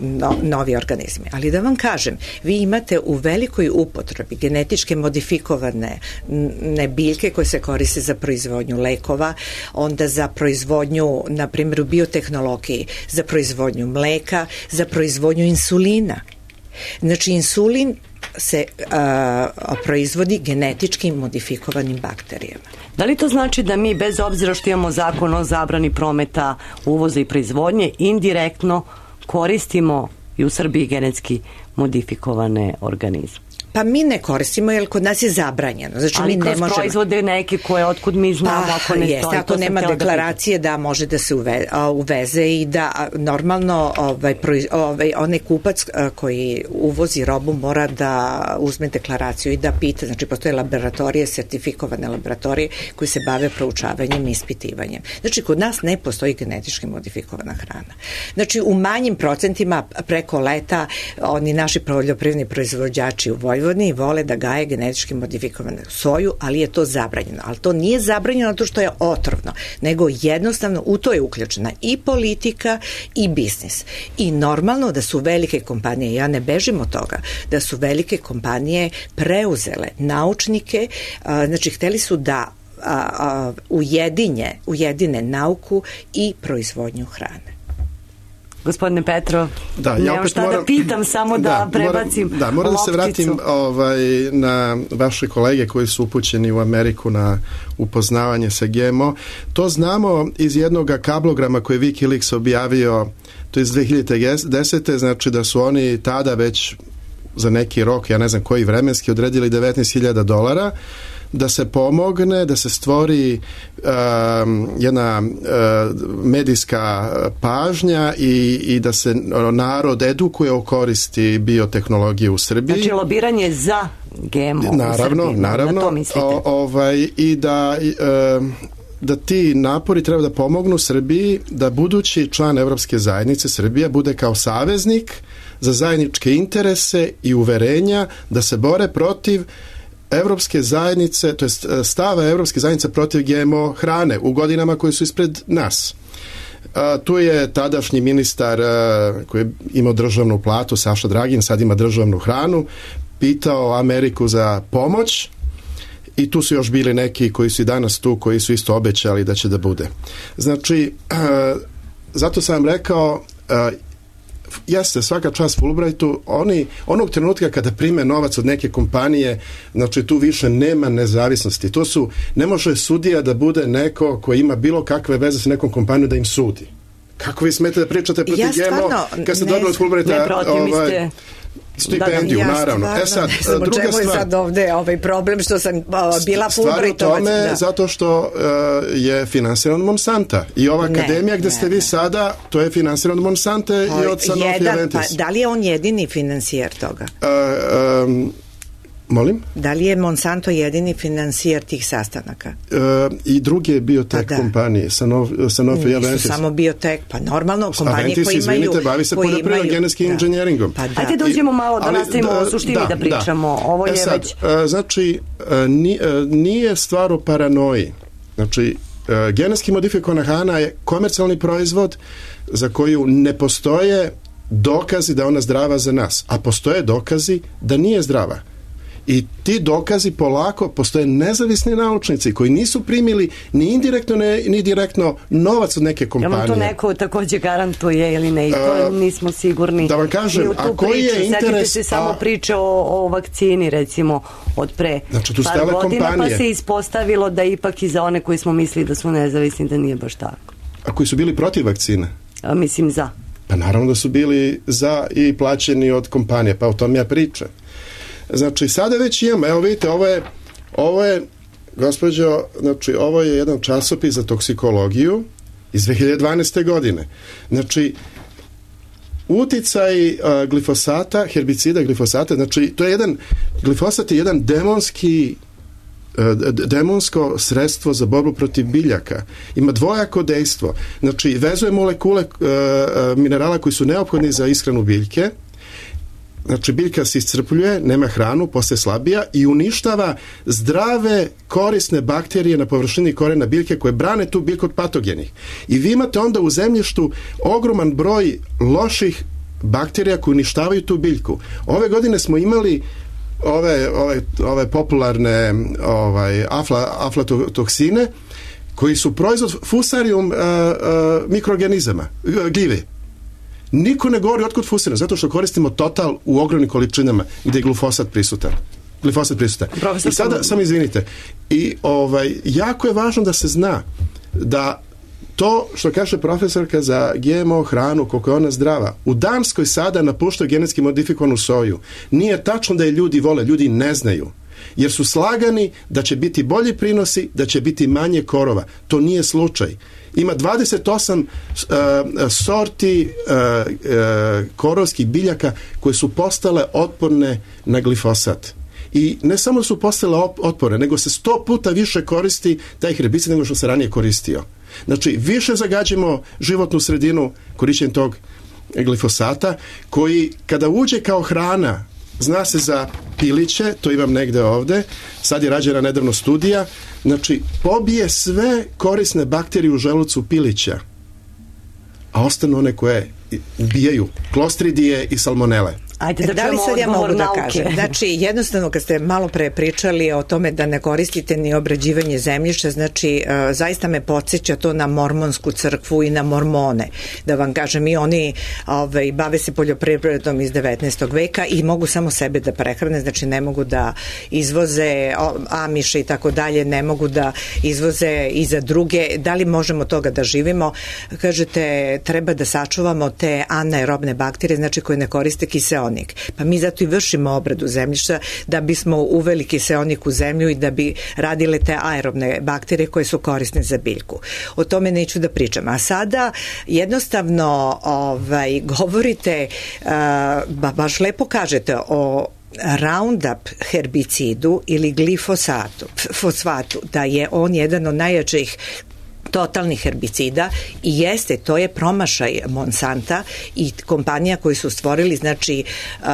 no, novi organizmi. Ali da vam kažem, vi imate u velikoj upotrebi genetičke modifikovane ne biljke koje se koriste za proizvodnju lekova, onda za proizvodnju, na primjer u biotehnologiji, za proizvodnju mleka, za proizvodnju insulina. Znači, insulin se a, proizvodi genetički modifikovanim bakterijama. Da li to znači da mi, bez obzira što imamo zakon o zabrani prometa, uvoza i proizvodnje, indirektno koristimo i u Srbiji genetski modifikovane organizme? Pa mi ne koristimo, jer kod nas je zabranjeno. Znači, ali mi ne kroz možemo... proizvode neke koje otkud mi znamo, pa, ako ne jest, stoji. Ako nema deklaracije da, da može da se uve, a, uveze i da a, normalno ovaj, proiz, ovaj, onaj kupac a, koji uvozi robu mora da uzme deklaraciju i da pita. Znači, postoje laboratorije, sertifikovane laboratorije koji se bave proučavanjem i ispitivanjem. Znači, kod nas ne postoji genetički modifikovana hrana. Znači, u manjim procentima preko leta oni naši poljoprivredni proizvođači u Vojvodini i vole da gaje genetički modifikovanu soju, ali je to zabranjeno. Ali to nije zabranjeno zato što je otrovno, nego jednostavno u to je uključena i politika i biznis. I normalno da su velike kompanije, ja ne bežim od toga, da su velike kompanije preuzele naučnike, znači hteli su da ujedinje, ujedine nauku i proizvodnju hrane. Gospodine Petro, da, ja nemam šta moram, da pitam, samo da, da prebacim moram, Da, moram da se vratim ovaj, na vaše kolege koji su upućeni u Ameriku na upoznavanje sa G M O. To znamo iz jednog kablograma koji je Wikileaks objavio, to je iz dve hiljade desete. Znači da su oni tada već za neki rok, ja ne znam koji vremenski, odredili devetnaest hiljada dolara da se pomogne, da se stvori um, jedna uh, medijska pažnja i, i da se narod edukuje o koristi biotehnologije u Srbiji. Znači lobiranje za G M O naravno, u Srbiji, naravno, na to mislite? O, ovaj, i da uh, da ti napori treba da pomognu Srbiji da budući član Evropske zajednice Srbija bude kao saveznik za zajedničke interese i uverenja da se bore protiv Evropske zajednice, to jest stava Evropske zajednice protiv G M O hrane u godinama koje su ispred nas. A, tu je tadašnji ministar a, koji je imao državnu platu, Saša Dragin, sad ima državnu hranu, pitao Ameriku za pomoć i tu su još bili neki koji su i danas tu, koji su isto obećali da će da bude. Znači, a, zato sam vam rekao, a, jeste, svaka čast Fulbrightu, oni, onog trenutka kada prime novac od neke kompanije, znači tu više nema nezavisnosti. To su, ne može sudija da bude neko koji ima bilo kakve veze sa nekom kompanijom da im sudi. Kako vi smete da pričate protiv ja G M O kad ste dobili od Fulbrighta ne protiv, ovaj, ste... stipendiju, da, da, naravno. Stvarno, e sad, ne znam, druga čemu stvar, je sad ovde ovaj problem što sam uh, bila Fulbrightovac. Stvar u tome da. zato što uh, je finansiran od Monsanta i ova ne, akademija gde ne, ste vi ne. sada, to je finansiran od Monsanta i od Sanofi Aventis. Pa, da li je on jedini financijer toga? Uh, um, Molim? Da li je Monsanto jedini financijer tih sastanaka? E, I druge biotek pa da. kompanije, Sanofi, Sanofi i Aventis. Nisu samo biotek, pa normalno kompanije Aventis, koje imaju... izvinite, bavi se poljoprivredom, genetskim da. inženjeringom. Pa da. Ajde da uđemo malo, da Ali, nastavimo da, o suštini da, da pričamo. Da. Ovo je e sad, već... Znači, nije stvar o paranoji. Znači, genetski modifikovana hrana je komercijalni proizvod za koju ne postoje dokazi da je ona zdrava za nas, a postoje dokazi da nije zdrava. I ti dokazi polako, postoje nezavisni naučnici koji nisu primili ni indirektno ne, ni direktno novac od neke kompanije. Jel to neko takođe garantuje ili ne? I to uh, nismo sigurni. Da vam kažem, a koji priču. je interes... Sjetite se samo priče o, o vakcini, recimo, od pre znači, tu par godina, kompanije. Pa se ispostavilo da ipak i za one koji smo mislili da su nezavisni, da nije baš tako. A koji su bili protiv vakcine? A, mislim za. Pa naravno da su bili za i plaćeni od kompanije, pa o tom ja pričam. Znači, sada već imamo, evo vidite, ovo je, ovo je, gospođo, znači, ovo je jedan časopis za toksikologiju iz dve hiljade dvanaeste. godine. Znači, uticaj uh, glifosata, herbicida glifosata, znači, to je jedan, glifosat je jedan demonski demonsko sredstvo za borbu protiv biljaka. Ima dvojako dejstvo. Znači, vezuje molekule uh, minerala koji su neophodni za ishranu biljke. Znači, biljka se iscrpljuje, nema hranu, postaje slabija i uništava zdrave, korisne bakterije na površini korena biljke koje brane tu biljku od patogenih. I vi imate onda u zemljištu ogroman broj loših bakterija koje uništavaju tu biljku. Ove godine smo imali ove, ove, ove popularne ovaj, afla, aflatoksine koji su proizvod fusarium uh, uh, mikroorganizama, gljive. Niko ne govori otkud fusira, zato što koristimo Total u ogromnim količinama gde je glifosat prisutan. Glifosat prisutan. Profesor, I sada, samo izvinite, i ovaj, jako je važno da se zna da to što kaže profesorka za G M O hranu, koliko je ona zdrava, u Danskoj sada napuštaju genetski modifikovanu soju. Nije tačno da je ljudi vole, ljudi ne znaju. Jer su slagani da će biti bolji prinosi, da će biti manje korova. To nije slučaj. Ima dvadeset osam uh, sorti uh, uh, korovskih biljaka koje su postale otporne na glifosat. I ne samo da su postale otporne, nego se sto puta više koristi taj herbicid nego što se ranije koristio. Znači, više zagađimo životnu sredinu korišćenjem tog glifosata, koji kada uđe kao hrana, zna se za piliće, to imam negde ovde, sad je rađena nedavno studija, znači, pobije sve korisne bakterije u želucu pilića, a ostanu one koje ubijaju klostridije i salmonele. Ajde da, da li sad ja mogu da nauke. kažem? Znači, jednostavno kad ste malo pre pričali o tome da ne koristite ni obrađivanje zemljišta, znači, uh, zaista me podsjeća to na mormonsku crkvu i na mormone. Da vam kažem, i oni ovaj, bave se poljoprivredom iz devetnaestog veka i mogu samo sebe da prehrane, znači ne mogu da izvoze amiše i tako dalje, ne mogu da izvoze i za druge. Da li možemo toga da živimo? Kažete, treba da sačuvamo te anaerobne bakterije, znači koje ne koriste kiseonik. Pa mi zato i vršimo obradu zemljišta da bismo uveli kiseonik u zemlju i da bi radile te aerobne bakterije koje su korisne za biljku. O tome neću da pričam. A sada jednostavno ovaj, govorite, uh, ba, baš lepo kažete o Roundup herbicidu ili glifosatu, fosfatu, da je on jedan od najjačih totalnih herbicida i jeste, to je promašaj Monsanta i kompanija koji su stvorili, znači, uh,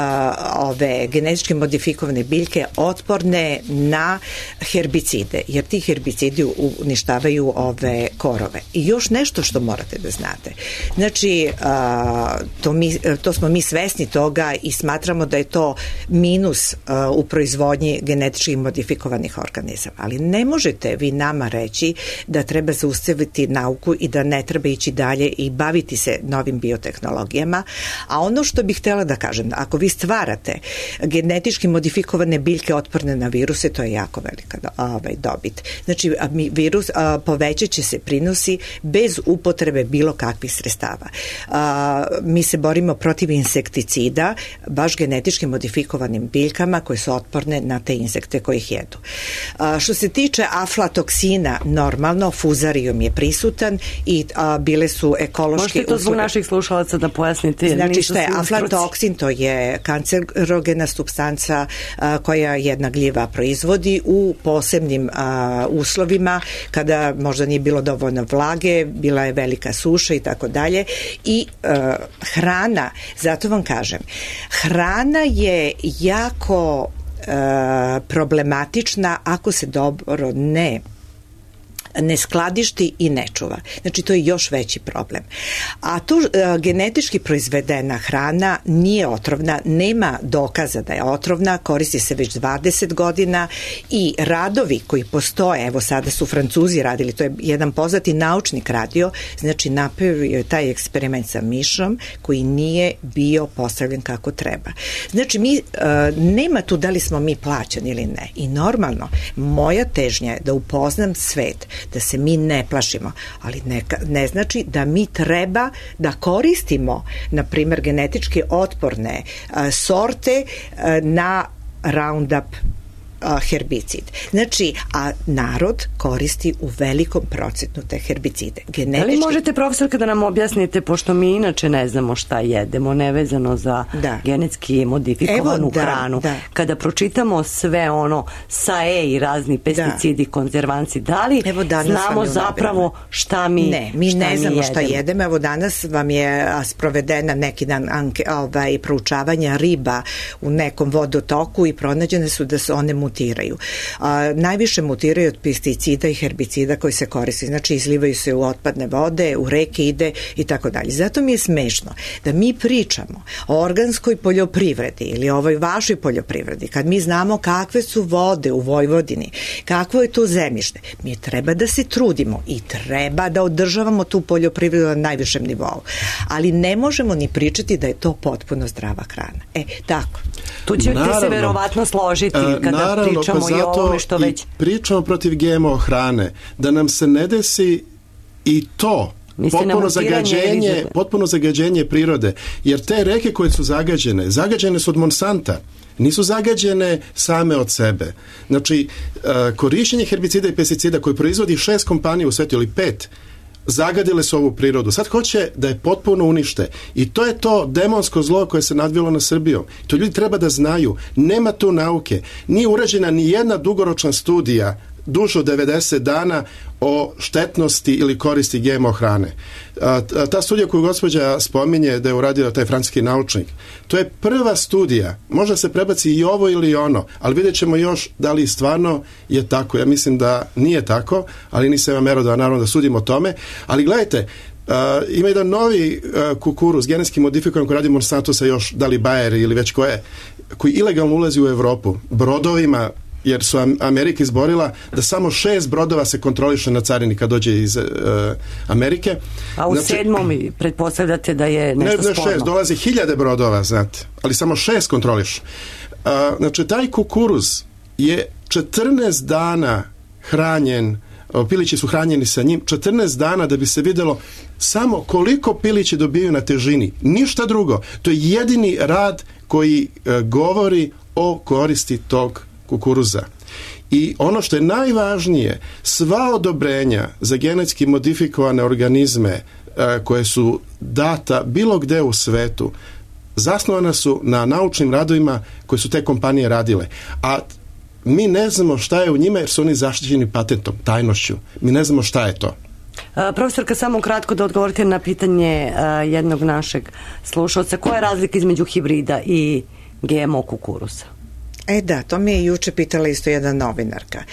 ove genetički modifikovane biljke otporne na herbicide, jer ti herbicidi uništavaju ove korove. I još nešto što morate da znate. Znači, uh, to, mi, to smo mi svesni toga i smatramo da je to minus uh, u proizvodnji genetički modifikovanih organizama. Ali ne možete vi nama reći da treba zaustaviti nauku i da ne treba ići dalje i baviti se novim biotehnologijama. A ono što bih htjela da kažem, ako vi stvarate genetički modifikovane biljke otporne na viruse, to je jako velika ovaj, dobit. Znači, virus, a, povećat će se prinosi bez upotrebe bilo kakvih sredstava. A, mi se borimo protiv insekticida, baš genetički modifikovanim biljkama koje su otporne na te insekte koji ih jedu. A, što se tiče aflatoksina, normalno, fuzarium je prisutan i a, bile su ekološke... Možete to zbog naših slušalaca da pojasnite? Znači, šta je aflatoksin? To je kancerogena supstanca a, koja jedna gljiva proizvodi u posebnim a, uslovima, kada možda nije bilo dovoljno vlage, bila je velika suša i tako dalje. I a, hrana, zato vam kažem, hrana je jako a, problematična ako se dobro ne ne skladišti i ne čuva. Znači, to je još veći problem. A tu uh, genetički proizvedena hrana nije otrovna, nema dokaza da je otrovna, koristi se već dvadeset godina i radovi koji postoje, evo sada su Francuzi radili, to je jedan poznati naučnik radio, znači napravio je taj eksperiment sa mišom koji nije bio postavljen kako treba. Znači, mi, uh, nema tu da li smo mi plaćani ili ne. I normalno, moja težnja je da upoznam svet, da se mi ne plašimo, ali ne, ne znači da mi treba da koristimo, na primjer, genetički otporne a, sorte a, na Roundup herbicid. Znači, a narod koristi u velikom procentu te herbicide. Genetički... Ali možete, profesorka, da nam objasnite, pošto mi inače ne znamo šta jedemo, nevezano za da. genetski modifikovanu Evo, da, hranu. Da. Kada pročitamo sve ono sa E i razni pesticidi, da. konzervanci, da li Evo znamo zapravo šta mi Ne, mi šta ne znamo mi šta jedemo. Evo danas vam je sprovedena neki dan anke, ovaj, proučavanja riba u nekom vodotoku i pronađene su da su one mutiraju. A, najviše mutiraju od pesticida i herbicida koji se koriste, znači izlivaju se u otpadne vode, u reke ide i tako dalje. Zato mi je smešno da mi pričamo o organskoj poljoprivredi ili ovoj vašoj poljoprivredi, kad mi znamo kakve su vode u Vojvodini, kakvo je to zemljište, mi treba da se trudimo i treba da održavamo tu poljoprivredu na najvišem nivou. Ali ne možemo ni pričati da je to potpuno zdrava hrana. E, tako. Tu ćete naravno, se verovatno složiti kada naravno, pričamo pa i o ovome što već... pričamo protiv G M O hrane, da nam se ne desi i to potpuno zagađenje, potpuno zagađenje prirode, jer te reke koje su zagađene, zagađene su od Monsanta, nisu zagađene same od sebe. Znači, korišćenje herbicida i pesticida koje proizvodi šest kompanija u svetu ili pet, zagadile su ovu prirodu. Sad hoće da je potpuno unište. I to je to demonsko zlo koje se nadvilo na Srbijom. To ljudi treba da znaju. Nema tu nauke. Nije urađena ni jedna dugoročna studija duže od devedeset dana o štetnosti ili koristi G M O hrane. A, ta studija koju gospođa spominje da je uradio taj francuski naučnik, to je prva studija. Možda se prebaci i ovo ili ono, ali vidjet ćemo još da li stvarno je tako. Ja mislim da nije tako, ali nisam ja merodavan naravno da sudim o tome. Ali gledajte, Uh, ima jedan novi uh, kukuruz, genetski modifikovan koji radi Monsanto sa još, da li Bayer ili već koje, koji ilegalno ulazi u Evropu brodovima, jer su Amerika izborila da samo šest brodova se kontroliše na carini kad dođe iz uh, Amerike. A u znači, sedmom pretpostavljate da je nešto ne, ne sporno? Šest, dolazi hiljade brodova, znate, ali samo šest kontroliš. Uh, znači, taj kukuruz je četrnaest dana hranjen, pilići su hranjeni sa njim, četrnaest dana da bi se videlo samo koliko pilići dobiju na težini. Ništa drugo. To je jedini rad koji uh, govori o koristi tog kukuruza. I ono što je najvažnije, sva odobrenja za genetski modifikovane organizme uh, koje su data bilo gde u svetu, zasnovana su na naučnim radovima koje su te kompanije radile. A mi ne znamo šta je u njima jer su oni zaštićeni patentom, tajnošću. Mi ne znamo šta je to. Uh, profesorka, samo kratko da odgovorite na pitanje uh, jednog našeg slušalca. Koja je razlika između hibrida i G M O kukuruza? E da, to mi je juče pitala isto jedna novinarka.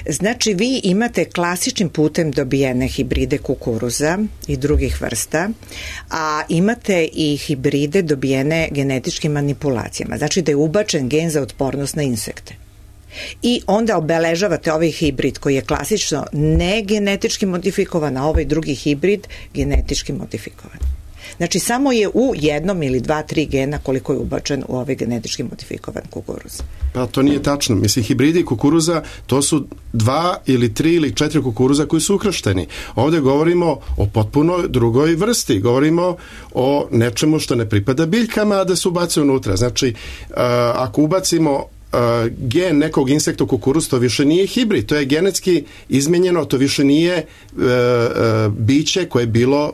Znači, vi imate klasičnim putem dobijene hibride kukuruza i drugih vrsta, a imate i hibride dobijene genetičkim manipulacijama. Znači da je ubačen gen za otpornost na insekte. I onda obeležavate ovaj hibrid koji je klasično ne genetički modifikovan, a ovaj drugi hibrid genetički modifikovan. Znači, samo je u jednom ili dva, tri gena koliko je ubačen u ovaj genetički modifikovan kukuruz. Pa to nije tačno. Mislim, hibridi kukuruza, to su dva ili tri ili četiri kukuruza koji su ukršteni. Ovdje govorimo o potpuno drugoj vrsti. Govorimo o nečemu što ne pripada biljkama, a da se ubaci unutra. Znači, uh, ako ubacimo uh, gen nekog insekta u kukuruz, to više nije hibrid. To je genetski izmenjeno, to više nije uh, uh, biće koje je bilo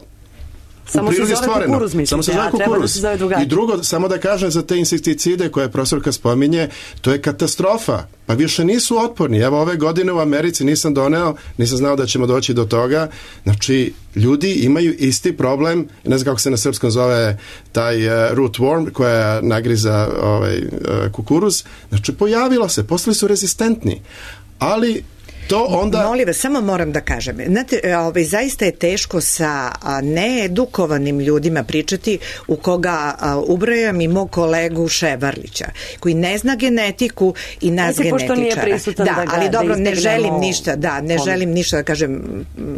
Samo se zove kukuruz, mislite, samo se zove kukuruz. I drugo, samo da kažem za te insekticide koje profesorka spominje, to je katastrofa. Pa više nisu otporni. Evo, ove godine u Americi nisam doneo, nisam znao da ćemo doći do toga. Znači, ljudi imaju isti problem, ne znam kako se na srpskom zove taj uh, root worm koja nagriza ovaj, uh, kukuruz. Znači, pojavilo se, postali su rezistentni. Ali to onda... Molim vas, samo moram da kažem. Znate, ovaj, zaista je teško sa a, needukovanim ljudima pričati, u koga a, ubrajam i mog kolegu Ševarlića, koji ne zna genetiku i nas Ajde, genetičara. Da, da ga, ali dobro, da ne želim ništa, da, ne on. želim ništa da kažem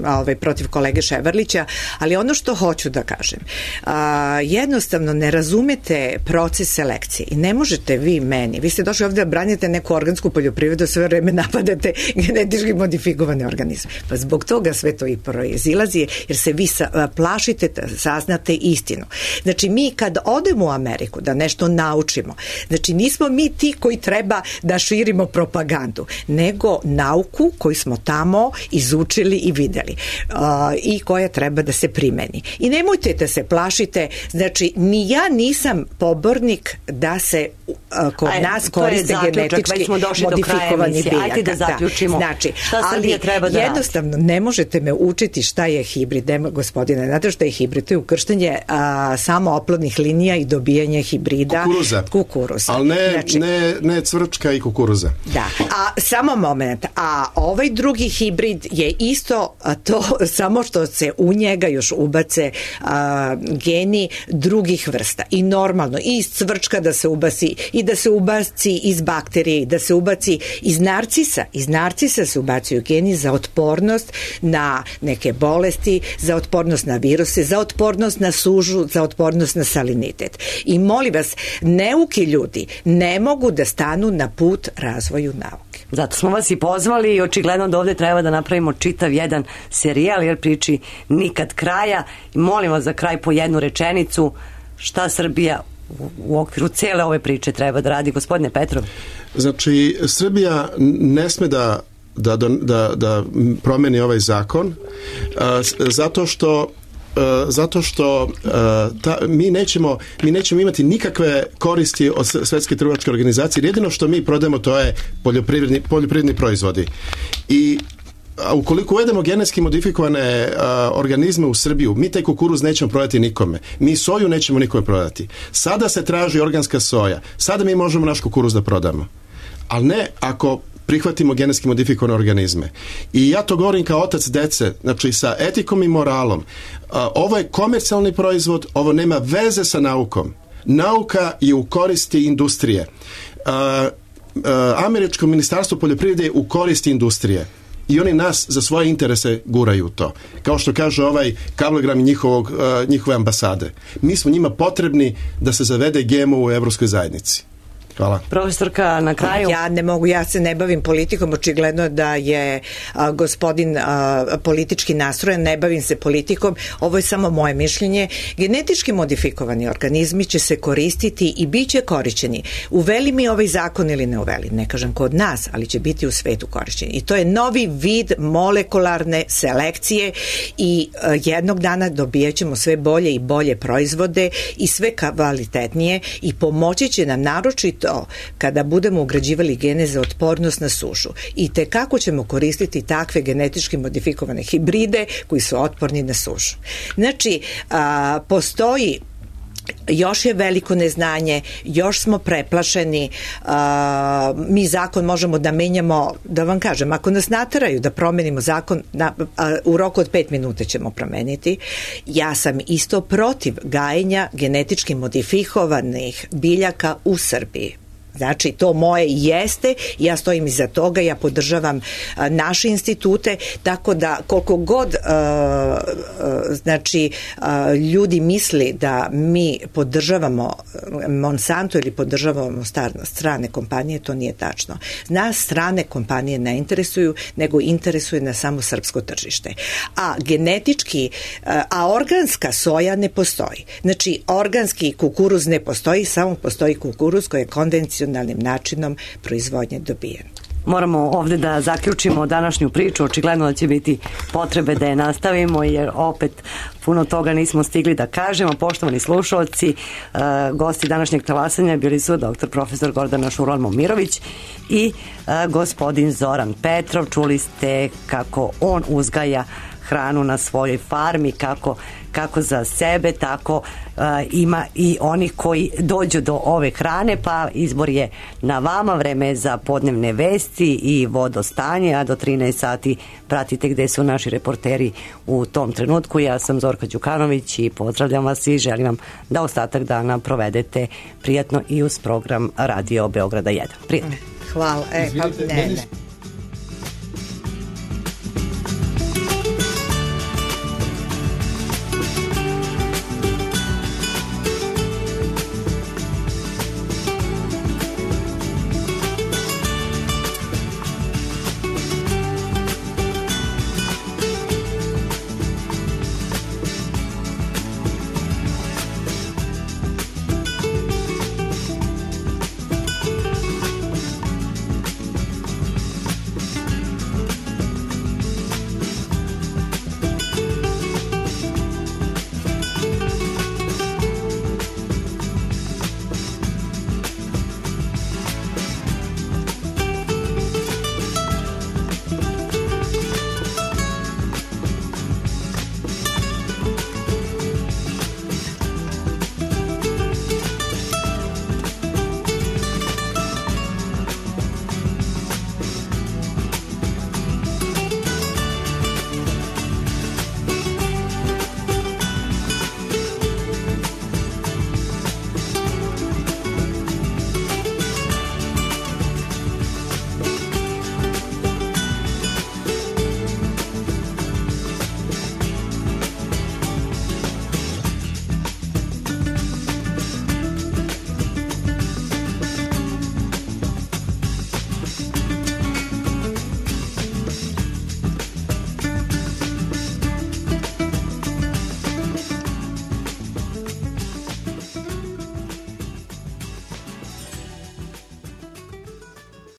ovaj, protiv kolege Ševarlića, ali ono što hoću da kažem, a, jednostavno ne razumete proces selekcije i ne možete vi meni, vi ste došli ovdje da branite neku organsku poljoprivredu, sve vreme napadate genetički modifikovane organizme. Pa zbog toga sve to i proizilazi, jer se vi sa, plašite da saznate istinu. Znači, mi kad odemo u Ameriku da nešto naučimo, znači nismo mi ti koji treba da širimo propagandu, nego nauku koju smo tamo izučili i videli uh, i koja treba da se primeni. I nemojte da se plašite, znači, ni ja nisam pobornik da se uh, kod Aj, nas koriste genetički modifikovani biljaka. Ajde da zaključimo. Da. Znači, Znači, šta Srbija treba da jednostavno radi? Ne možete me učiti šta je hibrid, nema, gospodine, znate šta je hibrid? To je ukrštanje a, samo oplodnih linija i dobijanje hibrida kukuruza, kukuruza. ali ne, znači, ne, ne cvrčka i kukuruza. Da, a samo moment, a ovaj drugi hibrid je isto to, samo što se u njega još ubace a, geni drugih vrsta i normalno i iz cvrčka da se ubaci i da se ubaci iz bakterije i da se ubaci iz narcisa, iz narcisa se ubacuju geni za otpornost na neke bolesti, za otpornost na viruse, za otpornost na sužu, za otpornost na salinitet. I molim vas, neuki ljudi ne mogu da stanu na put razvoju nauke. Zato smo vas i pozvali i očigledno da ovdje treba da napravimo čitav jedan serijal jer priči nikad kraja. I molim vas za kraj po jednu rečenicu šta Srbija u, u okviru cele ove priče treba da radi, gospodine Petrov. Znači, Srbija ne sme da da, da, da promeni ovaj zakon a, zato što Uh, zato što uh, ta, mi, nećemo, mi nećemo imati nikakve koristi od Svetske trgovačke organizacije. Jedino što mi prodajemo to je poljoprivredni, poljoprivredni proizvodi. I a ukoliko uvedemo genetski modifikovane a, organizme u Srbiju, mi taj kukuruz nećemo prodati nikome. Mi soju nećemo nikome prodati. Sada se traži organska soja. Sada mi možemo naš kukuruz da prodamo. Ali ne ako prihvatimo genetski modifikovane organizme. I ja to govorim kao otac dece, znači sa etikom i moralom. A, ovo je komercijalni proizvod, ovo nema veze sa naukom. Nauka je u koristi industrije. A, a, američko ministarstvo poljoprivrede je u koristi industrije. I oni nas za svoje interese guraju to. Kao što kaže ovaj kablogram njihovog, uh, njihove ambasade. Mi smo njima potrebni da se zavede G M O u Evropskoj zajednici. Hvala. Profesorka, na kraju. Ja ne mogu, ja se ne bavim politikom, očigledno da je a, gospodin a, politički nastrojen, ne bavim se politikom, ovo je samo moje mišljenje. Genetički modifikovani organizmi će se koristiti i bit će korišćeni. Uveli mi ovaj zakon ili ne uveli, ne kažem kod nas, ali će biti u svetu korišćeni. I to je novi vid molekularne selekcije i a, jednog dana dobijat ćemo sve bolje i bolje proizvode i sve kvalitetnije i pomoći će nam naročito to kada budemo ugrađivali gene za otpornost na sušu. I te kako ćemo koristiti takve genetički modifikovane hibride koji su otporni na sušu. Znači, a, postoji još je veliko neznanje, još smo preplašeni, a, mi zakon možemo da menjamo, da vam kažem, ako nas nateraju da promenimo zakon, na, a, u roku od pet minuta ćemo promeniti. Ja sam isto protiv gajenja genetički modifikovanih biljaka u Srbiji. Znači, to moje jeste, ja stojim iza toga, ja podržavam a, naše institute, tako da koliko god a, a, znači a, ljudi misli da mi podržavamo Monsanto ili podržavamo strane kompanije, to nije tačno. Nas strane kompanije ne interesuju, nego interesuje na samo srpsko tržište. A genetički, a, a organska soja ne postoji. Znači, organski kukuruz ne postoji, samo postoji kukuruz koji je konvencionalni načinom proizvodnje dobijen. Moramo ovdje da zaključimo današnju priču, očigledno da će biti potrebe da je nastavimo jer opet puno toga nismo stigli da kažemo. Poštovani slušalci, uh, gosti današnjeg talasanja bili su doktor profesor Gordana Šurlan-Momirović i uh, gospodin Zoran Petrov. Čuli ste kako on uzgaja hranu na svojoj farmi, kako, kako za sebe, tako uh, ima i onih koji dođu do ove hrane, pa izbor je na vama. Vreme je za podnevne vesti i vodostanje, a do trinaest sati pratite gde su naši reporteri u tom trenutku. Ja sam Zorka Đukanović i pozdravljam vas i želim vam da ostatak dana provedete prijatno i uz program Radio Beograda jedan. Prijatno. Hvala. E, pa, ne, ne.